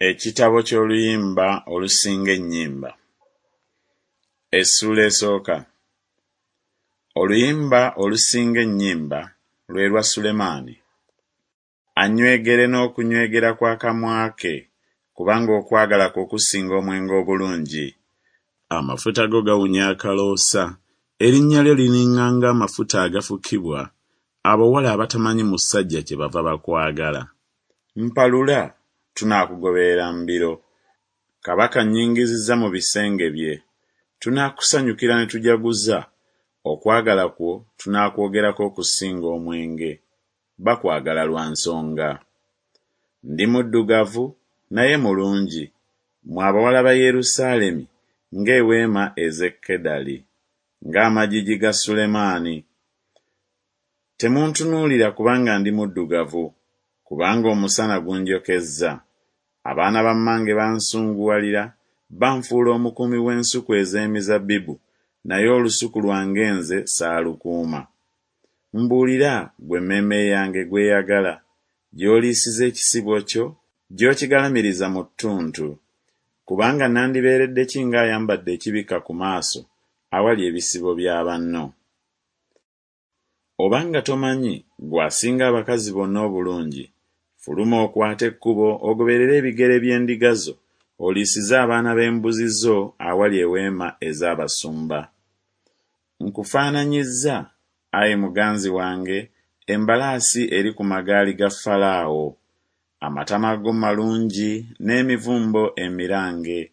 Ekitabo ky'Oluyimba olusinga ennyimba. Essuula esooka. Oluyimba olusinga ennyimba lwe lwa Sulemaani. Annywegere n'okunywegera kw'akamwa ke, kubanga okwagala kwo kusinga omwenge obulungi. Amafuta go gawunya akaloosa, erinnya lyo liringa ng'amafuta agafukibwa, abawala abatamanyi musajja kyebava bakwagala. Mpalula, tunaakugoberera mbiro. Kabaka annyingizizza mu bisenge bye. Tunaakusanyukira ne tujaguza, okwagala kwo tunaakwogerako okusinga omwenge. Bakwagala lwa nsonga. Ndi muddugavu, naye mulungi, mmwe abawala ba Yerusaalemi, ng'eweema ez'e Kedali, ng'amagigi ga Sulemaani. Temuntunuulira kubanga ndi muddugavu, kubanga omusana gunjokezza. Abaana ba mmange bansunguwalira, banfuula omukuumi w'ensuku ez'emizabbibu, naye olusuku lwange nze saalukuuma. Mbuulira, ggwe emmeeme yange gw'eyagala, gy'oliisiza ekisibo kyo, gy'okigalamiriza mu ttuntu. Kubanga nandibeeredde ki ng'ayambadde ekibikka ku maaso awali ebisibo bya banno? Obanga tomanyi, ggwe asinga abakazi bonna obulungi, fuluma okwate ekkubo ogoberere ebigere by'endiga zo, oliisize abaana b'embuzi zo awali eweema ez'abasumba. Nkufaananyizza, ayi muganzi wange, embalaasi eri ku magaali ga Falaawo. Amatama go malungi n'emivumbo emirange.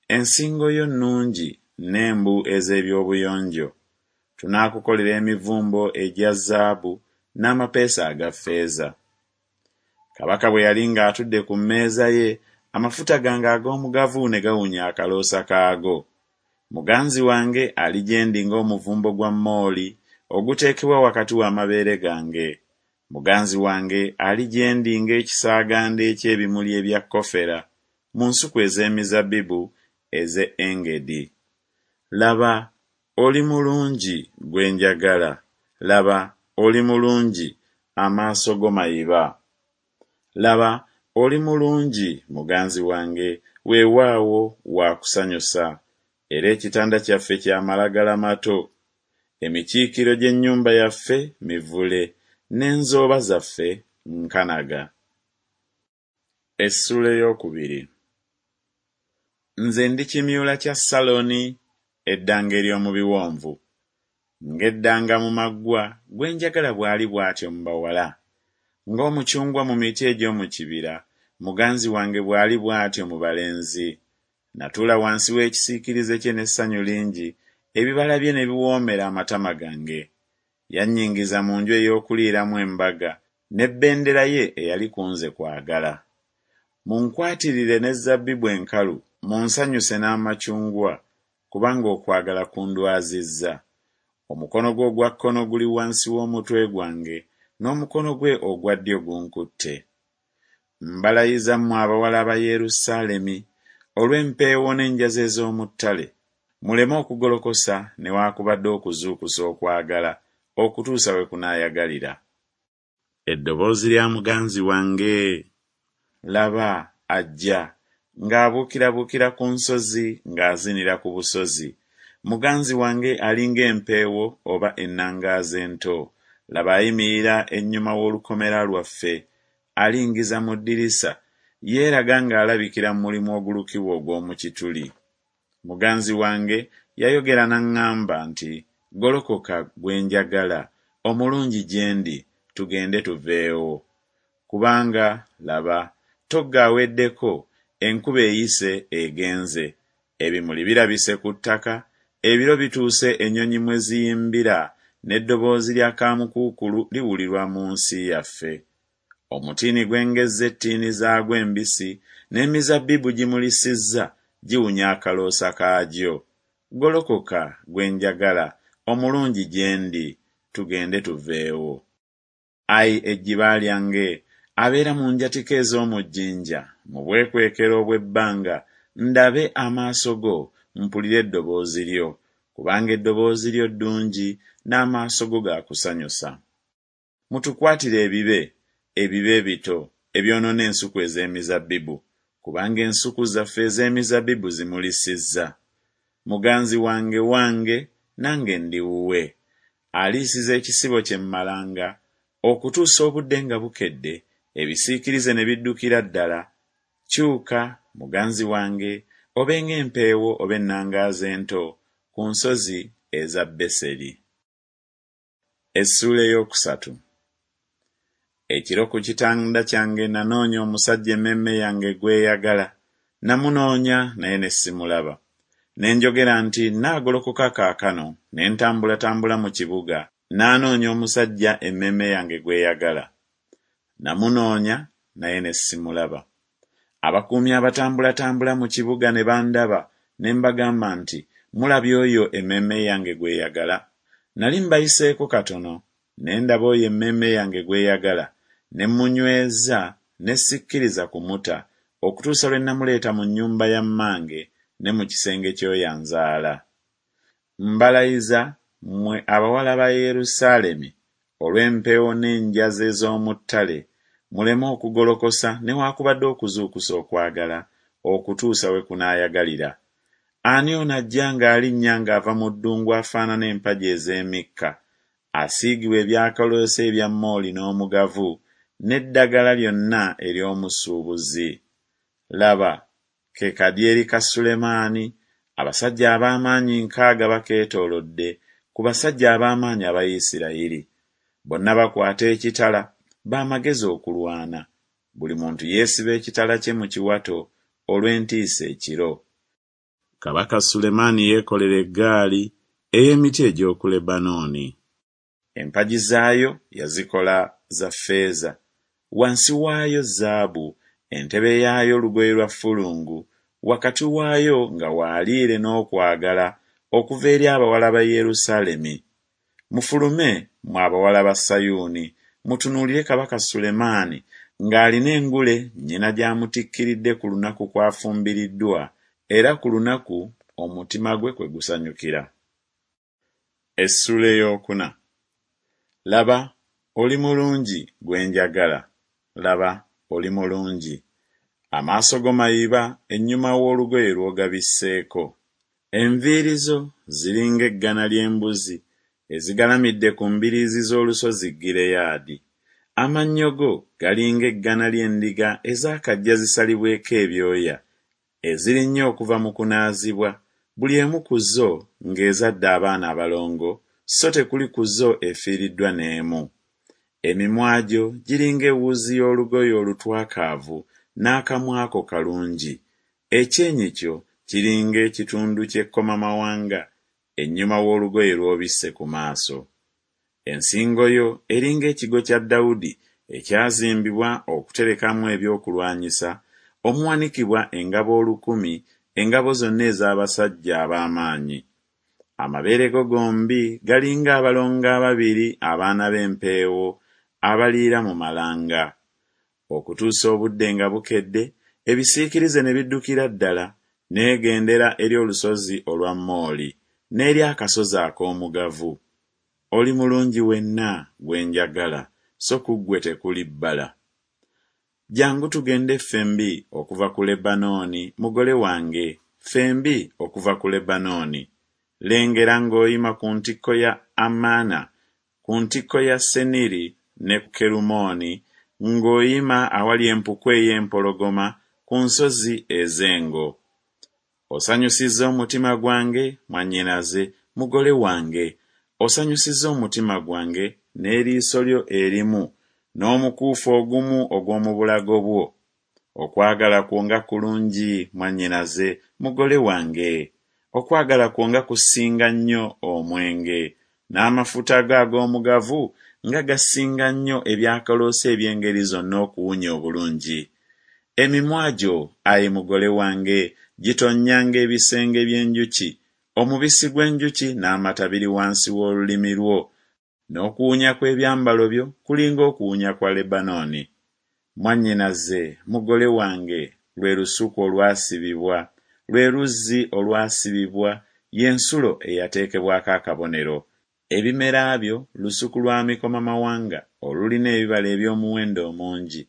Ensingo yo nnungi n'embu ez'eby'obuyonjo. Tunaakukolera emivumbo egya zaabu n'amapeesa aga ffeeza. Kabaka bwe yali ng'atudde ku mmeeza ye, amafuta gange ag'omugavu ne gawunya akaloosa kaago. Muganzi wange ali gye ndi ng'omuvumbo gwa mooli oguteekebwa wakati w'amabeere gange. Muganzi wange ali gye ndi ng'ekisaaganda eky'ebimuli ebya kofera mu nsuku ez'emizabbibu ez'e Engedi. Laba, oli mulungi, gwe njagala, laba, oli mulungi, amaaso go mayiba. Laba, oli mulungi, muganzi wange, weewaawo, wa kusanyusa, era ekitanda kyaffe kya malagala mato. Emikiikiro gy'ennyumba yaffe mivule, n'enzooba zaffe nkanaga. Essuula ey'okubiri. Nze ndi kimyula kya Saloni, eddanga ery'omu biwonvu. Ng'eddanga mu maggwa, gwe njagala bw'ali bw'atyo mu bawala. Ng'omucungwa mu miti egy'omu kibira, muganzi wange bw'ali bw'atyo mu balenzi. Natuula wansi w'ekisiikirize kye n'essanyu lingi, ebibala bye ne biwoomera amatama gange. Yannyingiza mu nju ey'okuliiramu embaga, ne bbendera ye eyali ku nze kwagala. Munkwatirire n'ezzabbibu enkalu, munsanyuse n'amacungwa, kubanga okwagala kundwazizza. Omukono gwe ogwa kkono guli wansi w'omutwe gwange, n'omukono gwe ogwa ddyo gunkutte. Mbalayiza mmwe abawala ba Yerusaalemi, olw'empeewo n'enjazi ez'omu ttale, muleme okugolokosa newaakubadde okuzuukusa okwagala okutuusa we kunaayagalira. Eddoboozi lya muganzi wange! Laba, ajja, ng'abuukirabuukira ku nsozi, ng'azinira ku busozi. Muganzi wange ali ng'empeewo oba ennangaazi ento. Laba ayimirira ennyuma w'olukomera lwaffe, alingiza mu ddirisa, yeeraga ng'alabikira mu mulimu ogulukibwa ogw'omu kituli. Muganzi wange yayogera n'aŋŋamba nti Golokoka, gwe njagala, omulungi gye ndi, tugende tuveewo. Kubanga, laba, ttogge aweddeko, enkuba eyise egenze, ebimuli birabise ku ttaka, ebiro bituuse ennyonyi mwe ziyimbira, n'eddoboozi lya kaamukuukulu liwulirwa mu nsi yaffe. Omutiini gwengezza ettiini zaagwo embisi, n'emizabbibu gimulisizza, giwunya akaloosa kaagyo. Golokoka, gwe njagala, omulungi gye ndi, tugende tuveewo. Ai ejjiba lyange, abeera mu njatika ez'omu jjinja, mu bwekwekero obw'ebbanga, ndabe amaaso go, mpulire eddoboozi lyo, kubanga eddoboozi lyo ddungi, n'amaaso go ga kusanyusa. Mutukwatire ebibe, ebibe ebito, ebyonoona ensuku ez'emizabbibu, Kubanga ensuku zaffe ez'emizabbibu zimulisizza. Muganzi wange wange, nange ndi wuwe. Aliisiza ekisibo kye mu malanga, okutuusa obudde nga bukedde, ebisiikirize ne biddukira ddala. Kyuka, muganzi wange, obe ng'empeewo oba ennangaazi ento ku nsozi eza Beseri. Essuula ey'okusatu. Ekiro ku kitanda kyange nanoonya omusajja emmeeme yange gw'eyagala. Namunoonya naye ne simulaba. Ne njogera nti Nnaagolokoka kaakano ne ntambulatambula mu kibuga, nnaanoonya omusajja emmeeme yange gw'eyagala. Namunoonya naye ne simulaba. Abakuumi abatambulatambula mu kibuga ne bandaba, ne mbagamba nti, Mulabye oyo emmeeme yange gw'eyagala? Nali mbayiseeko katono, ne ndaba oyo emmeeme yange gw'eyagala, ne mmunyweza ne sikkiriza kumuta, okutuusa lwe namuleeta mu nnyumba ya mmange ne mu kisenge ky'oyo anzaala. Mbalayiza, mmwe abawala ba Yerusaalemi, olw'empeewo n'enjazi ez'omu ttale, muleme okugolokosa newakubadde okuzuukusa okwagala, okutuusa we kunaayagalira. Ani ono ajja ng'alinnya ng'ava mu ddungu afaanana empagi ez'emikka, asiigibwa ebyakaloosa ebya mooli n'omugavu, n'eddagala lyonna ery'omusuubuzi? Laba, ke kadyeri ka Sulemaani, abasajja ab'amaanyi nkaaga bakeetoolodde, ku basajja ab'amaanyi aba Isirayiri. Bonna bakwata ekitala, ba magezi okulwana, buli muntu yeesiba ekitala kye mu kiwato olw'entiisa ekiro. Kabaka Sulemaani yeekolera eggaali ey'emiti egy'oku Lebanooni. Empagi zaayo yazikola za ffeeza, wansi waayo zaabu, entebe yaayo lugoye lwa ffulungu, wakati waayo nga waaliire n'okwagala okuva eri abawala ba Yerusaalemi. Mufulume, mmwe abawala ba Sayuuni, mutunuulire kabaka Sulemaani ng'alina engule nnyina gy'amutikkiridde ku lunaku kw'afumbiriddwa era ku lunaku omutima gwe kwe gusanyukira. Essuula ey'okuna. Laba, oli mulungi, gwe njagala, laba, oli mulungi. Amaaso go mayiba ennyuma w'olugoye lw'ogabisseeko. Enviiri zo ziri ng'eggana ly'embuzi ezigalamidde ku mbiriizi z'olusozi Gireyaadi. Amannyo go gali ng'eggana ly'endiga ezaakajja zisalibweko ebyoya, ezirinnye okuva mu kunaazibwa, buli emu ku zo ng'ezadde abaana abalongo, so tekuli ku zo efiiriddwa n'emu. Emimwa gyo giri ng'ewuzi y'olugoye olutwakaavu, n'akamwa ko kalungi. Ekyenyi kyo kiri ng'ekitundu ky'ekkomamawanga ennyuma w'olugoye lw'obisse ku maaso. Ensingo yo eri ng'ekigo kya Dawudi ekyazimbibwa okuterekamu ebyokulwanyisa, omuwanikibwa engabo olukumi, engabo zonna ez'abasajja ab'amaanyi. Amabeere go gombi gali ng'abalongo ababiri abaana b'empeewo abaliira mu malanga. Okutuusa obudde nga bukedde, ebisiikirize ne biddukira ddala, Neegendera eri olusozi olwa mooli, n'eri akasozi ak'omugavu. Oli mulungi wenna, gwe njagala, so ku ggwe tekuli bbala. Jjangu tugende ffembi okuva ku Lebanooni, mugole wange, ffembi okuva ku Lebanooni. Lengera ng'oyima ku ntikko ya Amana, ku ntikko ya Seniri ne Kerumooni, ng'oyima awali empuku ey'empologoma ku nsozi ez'engo. Osanyusizza omutima gwange, mwannyinaze, mugole wange, osanyusizza omutima gwange n'eriiso lyo erimu n'omukuufu ogumu ogw'omu bulago bwo. Okwagala kwo nga kulungi, mwannyinaze, mugole wange! Okwagala kwo nga kusinga nnyo omwenge, n'amafuta go ag'omugavu nga gasinga nnyo ebyakaloosa eby'engeri zonna okuwunya obulungi! Emimwa gyo, ayi mugole wange, gitonnya ng'ebisenge by'enjuki, omubisi gw'enjuki n'amata biri wansi w'olulimi lwo, n'okuwunya kw'ebyambalo byo kuli ng'okuwunya kwa Lebanooni. Mwannyinaze, mugole wange, lwe lusuku olwasibibwa, lwe luzzi olwasibibwa, ye nsulo eyateekebwako akabonero. Ebimera byo lusuku lwa mikomamawanga olulina ebibala eby'omuwendo omungi,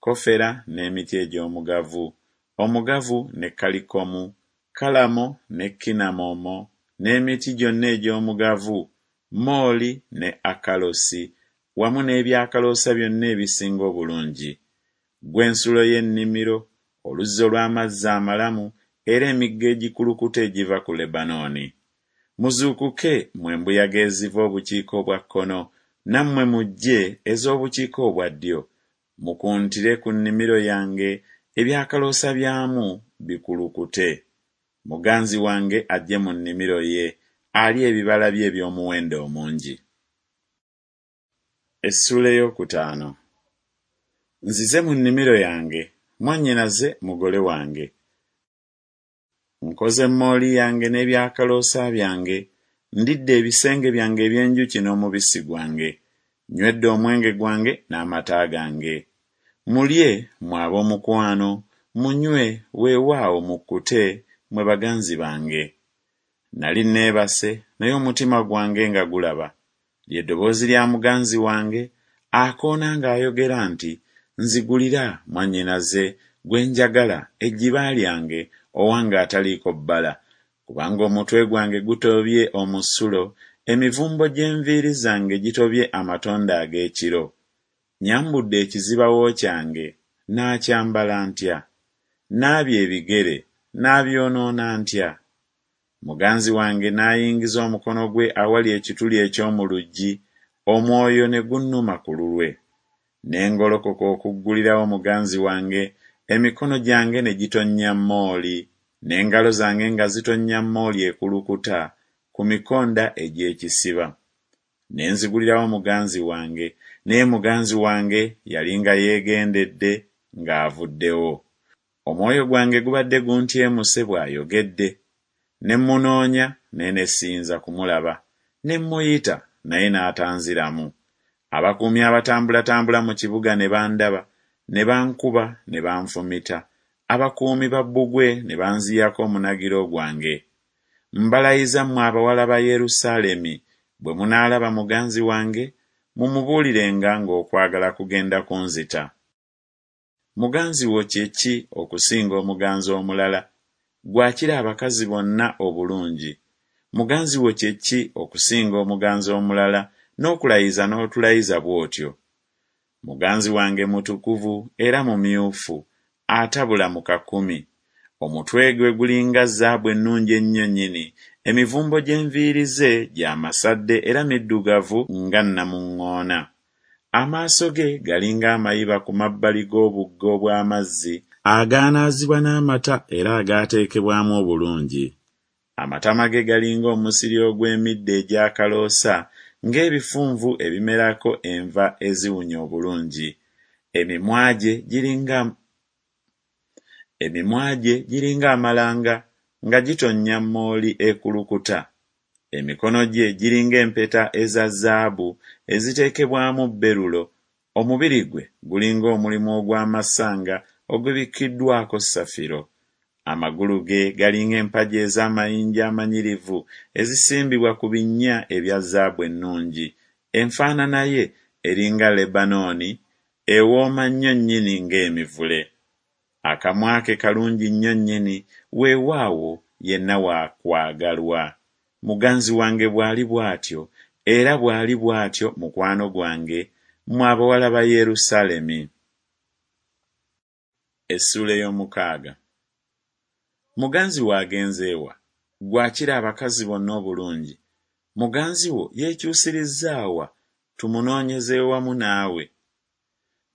kofera n'emiti egy'omugavu, Omugavu ne kalikomu, kalamo ne kinamomo, n'emiti gyonna egy'omugavu, mooli ne akalosi, wamu n'ebyakaloosa byonna ebisinga obulungi. Ggwe nsulo y'ennimiro, oluzzi olw'amazzi amalamu, era emigga egikulukuta egiva ku Lebanooni. Muzuukuke, mmwe embuyaga eziva obukiika obwa kkono, nammwe mujje, ez'obukiika obwa ddyo, mukuntire ku nnimiro yange, ebyakaloosa byamu bikulukute. Muganzi wange ajje mu nnimiro ye, alye ebibala bye eby'omuwendo omungi. Essuula ey'okutaano. Nzize mu nnimiro yange, mwannyinaze mugole wange. Nkoze mooli yange n'ebyakaloosa byange, ndidde ebisenge byange eby'enjuki n'omubisi gwange, nywedde omwenge gwange n'amata gange. Mulye, mmwe ab'omukwano, munywe, weewaawo mukkute, mmwe baganzi bange. Nali nneebase, naye omutima gwange nga gulaba. Lye ddoboozi lya muganzi wange, akoona ng'ayogera nti Nzigulira, mwannyinaze, gwe njagala, ejjiba lyange, owange ataliiko bbala, kubanga omutwe gwange gutobye omusulo, emivumbo gy'enviiri zange gitobye amatondo ag'ekiro. Nnyambudde ekizibawo kyange, nnaakyambala ntya? Nnaabye ebigere, nnaabyonoona ntya? Muganzi wange n'ayingiza omukono gwe awali ekituli eky'omu luggi, omwoyo ne gunnuma ku lulwe. Ne ngolokoka okuggulirawo muganzi wange, emikono gyange ne gitonnya mooli, n'engalo zange nga zitonnya mooli ekulukuta ku mikonda egy'ekisiba. Ne nzigulirawo muganzi wange, naye muganzi wange yali nga yeegendedde, ng'avuddewo. Omwoyo gwange gubadde guntyemuse bw'ayogedde. Ne mmunoonya, naye ne siyinza kumulaba, ne mmuyita, naye n'atanziramu. Abakuumi abatambulatambula mu kibuga ne bandaba, ne bankuba ne banfumita, abakuumi ba bbugwe ne banziyako omunagiro gwange. Mbalayiza mmwe abawala ba Yerusaalemi, bwe munaalaba muganzi wange, mumubuulirenga ng'okwagala kugenda kunzita. Muganzi wo kye ki okusinga omuganzi omulala, ggwe akira abakazi bonna obulungi? Muganzi wo kye ki okusinga omuganzi omulala, n'okulayiza n'otulayiza bw'otyo? Muganzi wange mutukuvu era mumyufu, atabula mu kakumi. Omutwe gwe gulinga zaabu ennungi ennyo nnyini, emivumbo gy'enviiri ze gya masadde era middugavu nga nnamuŋŋoona. Amaaso ge galinga amayiba ku mabbali g'obugga obw'amazzi agaanaazibwa n'amata era agaateekebwamu obulungi. Amatama ge galinga omusiri ogw'emiddo egy'akaloosa, ng'ebifunvu ebimerako enva eziwunya obulungi. Emimwa gye giringa Emimwa gye giringa amalanga nga gitonnya mooli ekulukuta. Emikono gye giringa empeta eza zaabu eziteekebwamu berulo, omubiri gwe gulinga omulimu ogw'amasanga ogubikkiddwako safiro. Amagulu ge galinga empagi ez'amayinja amanyirivu ezisimbibwa ku binnya ebya zaabu ennungi. Enfaanana ye eringa Lebanooni, ewooma nnyo nnyini ng'emivule. Akamwa ke kalungi nnyo nnyini, weewaawo, yenna wa kwagalwa. Muganzi wange bw'ali bw'atyo, era bw'ali bw'atyo mukwano gwange, mmwe abawala ba Yerusaalemi. Essuula ey'omukaaga. Muganzi wo agenze wa, ggwe akira abakazi bonna obulungi? Muganzi wo yeekyusirizza wa, tumunoonyeze wamu naawe?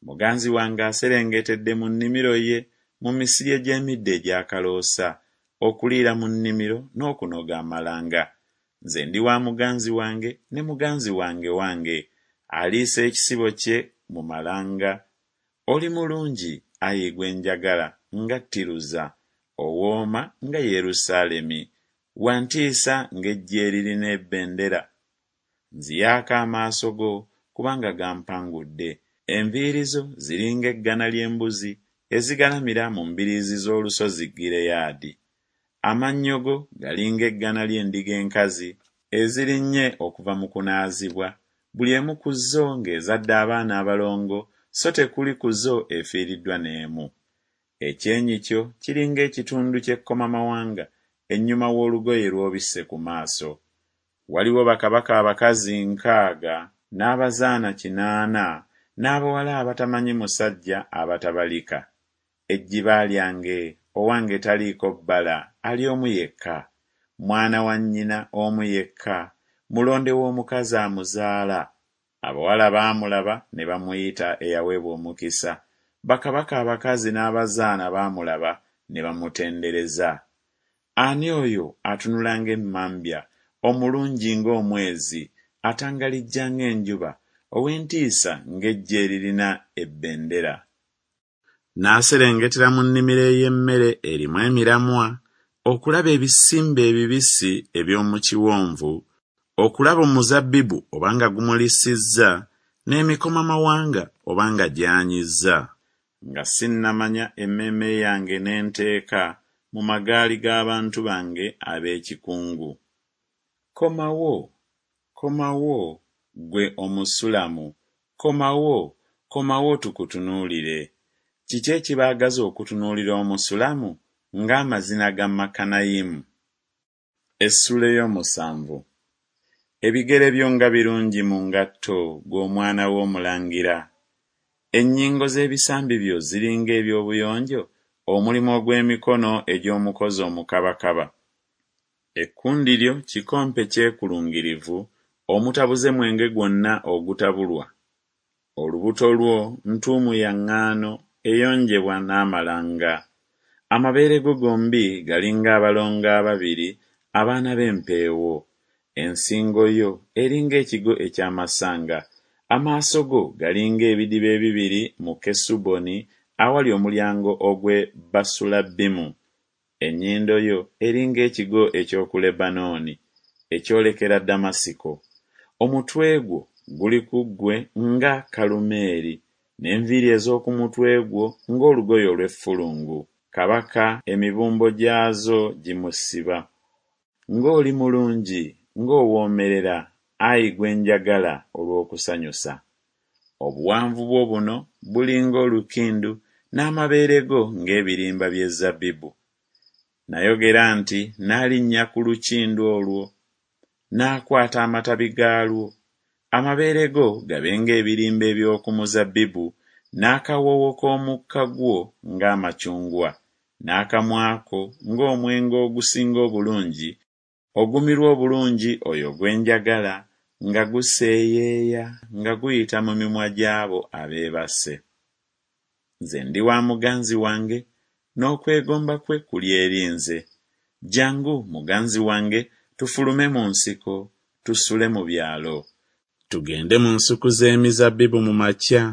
Muganzi wange aserengetedde mu nnimiro ye, mu misiri egy'emiddo egy'akaloosa, okuliira mu nnimiro n'okunoga amalanga. Nze ndi wa muganzi wange, ne muganzi wange wange, aliisa ekisibo kye mu malanga. Oli mulungi, ayi gwe njagala, nga Tiruza, owooma nga Yerusaalemi, wa ntiisa ng'eggye eririna ebendera. Nziyaako amaaso go, kubanga gampangudde. Enviiri zo ziri ng'eggana ly'embuzi ezigalamira mu mbiriizi z'olusozi Gireyaadi. Amannyo go gali ng'eggana ly'endiga enkazi ezirinnye okuva mu kunaazibwa, buli emu ku zo ng'ezadde abaana abalongo, so tekuli ku zo efiiriddwa n'emu. Ekyenyi kyo kiri ng'ekitundu ky'ekkomamawanga ennyuma w'olugoye lw'obisse ku maaso. Waliwo bakabaka abakazi 60 n'abazaana 8 n'abawala abatamanyi musajja abatabalika. Ejjiba lyange, owange taliiko bbala, ali omu yekka, mwana wa nnyina omu yekka, mulonde w'omukazi amuzaala. Abawala baamulaba ne bamuyita eyaweebwa omukisa, bakabaka abakazi n'abazaana baamulaba ne bamutendereza. Ani oyo atunula ng'emmambya, omulungi ng'omwezi, atangalijja ng'enjuba, ow'entiisa ng'eggye eririna ebendera? N'aserengetera mu nnimiro ey'emmere erimu emiramwa, okulaba ebisimbe ebibisi eby'omu kiwonvu, okulaba omuzabbibu oba nga gumulisizza, n'emikomamawanga oba nga gyanyizza. Nga sinnamanya emmeeme yange n'enteeka mu magaali g'abantu bange ab'ekikungu. Komawo, komawo, ggwe Omusulamu, komawo, komawo tukutunuulire. Kiki ekibaagaza okutunuulira Omusulamu ng'amazina ga Makanayimu? Essuula ey'omusanvu. Ebigere byo nga birungi mu ngatto, ggwe omwana w'omulangira! Ennyingo z'ebisambi byo ziri ng'eby'obuyonjo, omulimu ogw'emikono egy'omukozi omukabakaba. Ekkundi lyo kikompe kyekulungirivu omutabuze mwenge gwonna ogutabulwa. Olubuto lwo ntuumu ya ŋŋaano eyonjebwa n'amalanga. Amabeere go gombi gali ng'abalongo ababiri, abaana b'empeewo. Ensingo yo eri ng'ekigo eky'amasanga. Amaaso go gali ng'ebidiba ebibiri mu Kesuboni awali omulyango ogw'e Basulabbimu. Ennyindo yo eri ng'ekigo eky'oku Lebanooni, ekyolekera Ddamasiko. Omutwe gwo guli ku ggwe nga Kalumeeri, n'enviiri ez'oku mutwe gwo ng'olugoye olw'effulungu. Kabaka emibumbo gyazo gimusiba. Ng'oli mulungi, ng'owoomerera, ayi gwe njagala olw'okusanyusa! Obuwanvu bwo buno buli ng'olukindu, n'amabeere go ng'ebirimba by'ezzabbibu. Nayogera nti Naalinnya ku lukindu olwo, naakwata amatabi gaalwo. Amabeere go gabe ng'ebirimba eby'oku muzabbibu, n'akawoowo k'omukka gwo ng'amacungwa, n'akamwa ko ng'omwenge ogusinga obulungi ogumirwa obulungi oyo gwe njagala, nga guseeyeeya nga guyita mu mimwa gy'abo abeebase. Nze ndi wa muganzi wange, n'okwegomba kwe kuli eri nze. Jjangu, muganzi wange, tufulume mu nsiko, tusule mu byalo. Tugende mu nsuku z'emizabbibu mu makya,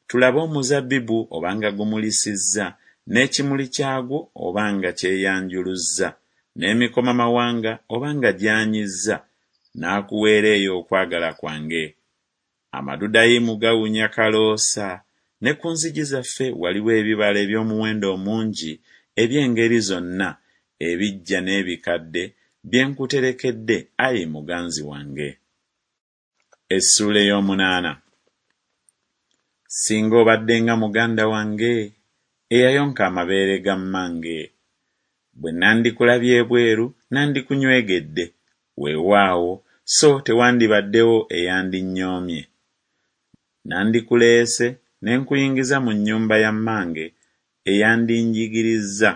tulabe omuzabbibu oba nga gumulisizza, n'ekimuli kyagwo oba nga kyeyanjuluzza, n'emikomamawanga oba nga gyanyizza, naakuweera eyo okwagala kwange. Amadudayimu gawunya kaloosa, ne ku nzigi zaffe waliwo ebibala eby'omuwendo omungi eby'engeri zonna, ebiggya n'ebikadde, bye nkuterekedde, ai muganzi wange. Essuula ey'omunaana. Singa obadde nga muganda wange, eyayonka amabeere ga mmange! Bwe nandikulabye ebweru nandikunyweegedde, weewaawo, so tewandibaddewo eyandinyoomye. Nandikuleese ne nkuyingiza mu nnyumba ya mmange eyandinjigirizza.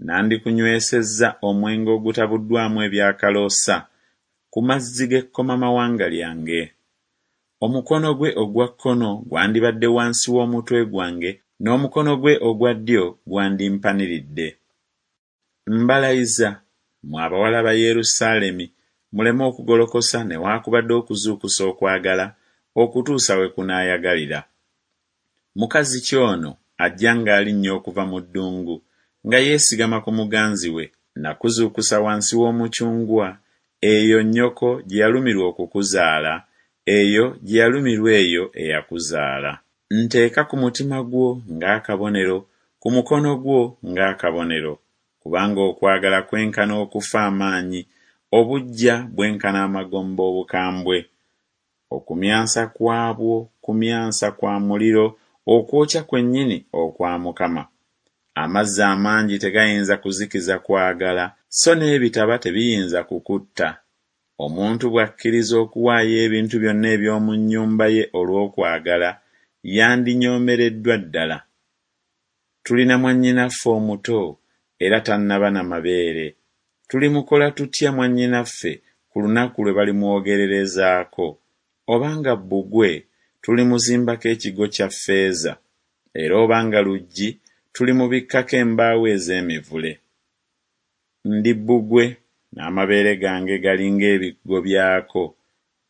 Nandikunywesezza omwenge ogutabuddwamu ebyakaloosa ku mazzi g'ekkomamawanga lyange. Omukono gwe ogwa kkono gwandibadde wansi w'omutwe gwange, n'omukono gwe ogwa ddyo gwandimpaniridde. Mbalayiza, mmwe abawala ba Yerusaalemi, muleme okugolokosa newakubadde okuzuukusa okwagala, okutuusa we kunaayagalira. Mukazi ki ono ajja ng'alinnya okuva mu ddungu, nga yeesigama ku muganzi we? Nakuzuukusa wansi w'omucungwa, eyo nnyoko gye yalumirwa okukuzaala, eyo gye yalumirwa eyo eyakuzaala. Nteeka ku mutima gwo ng'akabonero, ku mukono gwo ng'akabonero, kubanga okwagala kwenkana okufa amaanyi, obuggya bwenkana amagombe obukambwe. Okumyansa kwabwo kumyansa kwa muliro, okwokya kwennyini okwa Mukama. Amazzi amangi tegayinza kuzikiza kwagala, so n'ebitaba tebiyinza kukutta. Omuntu bw'akkiriza okuwaayo ebintu byonna eby'omu nnyumba ye olw'okwagala, yandinyoomereddwa ddala. Tulina mwannyinaffe omuto, era tannaba na mabeere. Tulimukola tutya mwannyinaffe ku lunaku lwe balimwogererezaako? Oba nga bbugwe, tulimuzimbako ekigo kya ffeeza, era oba nga luggi, tulimubikkako embaawo ez'emivule. Ndi bbugwe, n'amabeere gange gali ng'ebigo byako,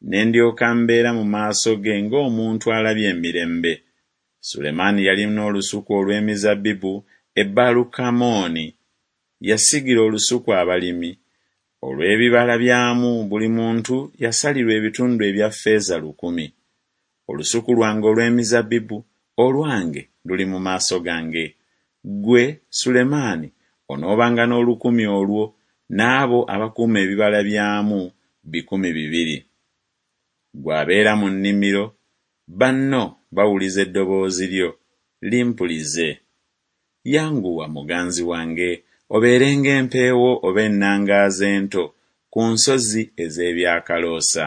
ne ndyoka mbeera mu maaso ge ng'omuntu alabye emirembe. Sulemaani yalina olusuku olw'emizabbibu e Baalukamoni, yasigira olusuku abalimi, olw'ebibala byamu buli muntu yasalirwa ebitundu ebya ffeeza lukumi. Olusuku lwange olw'emizabbibu, olwange, luli mu maaso gange. Ggwe, Sulemaani, onoobanga n'olukumi olwo, n'abo abakuuma ebibala byamu 200. Ggwe abeera mu nnimiro, banno bawuliza eddoboozi lyo, limpulize. Yanguwa, muganzi wange, obeere ng'empeewo oba ennangaazi ento ku nsozi ez'ebyakaloosa.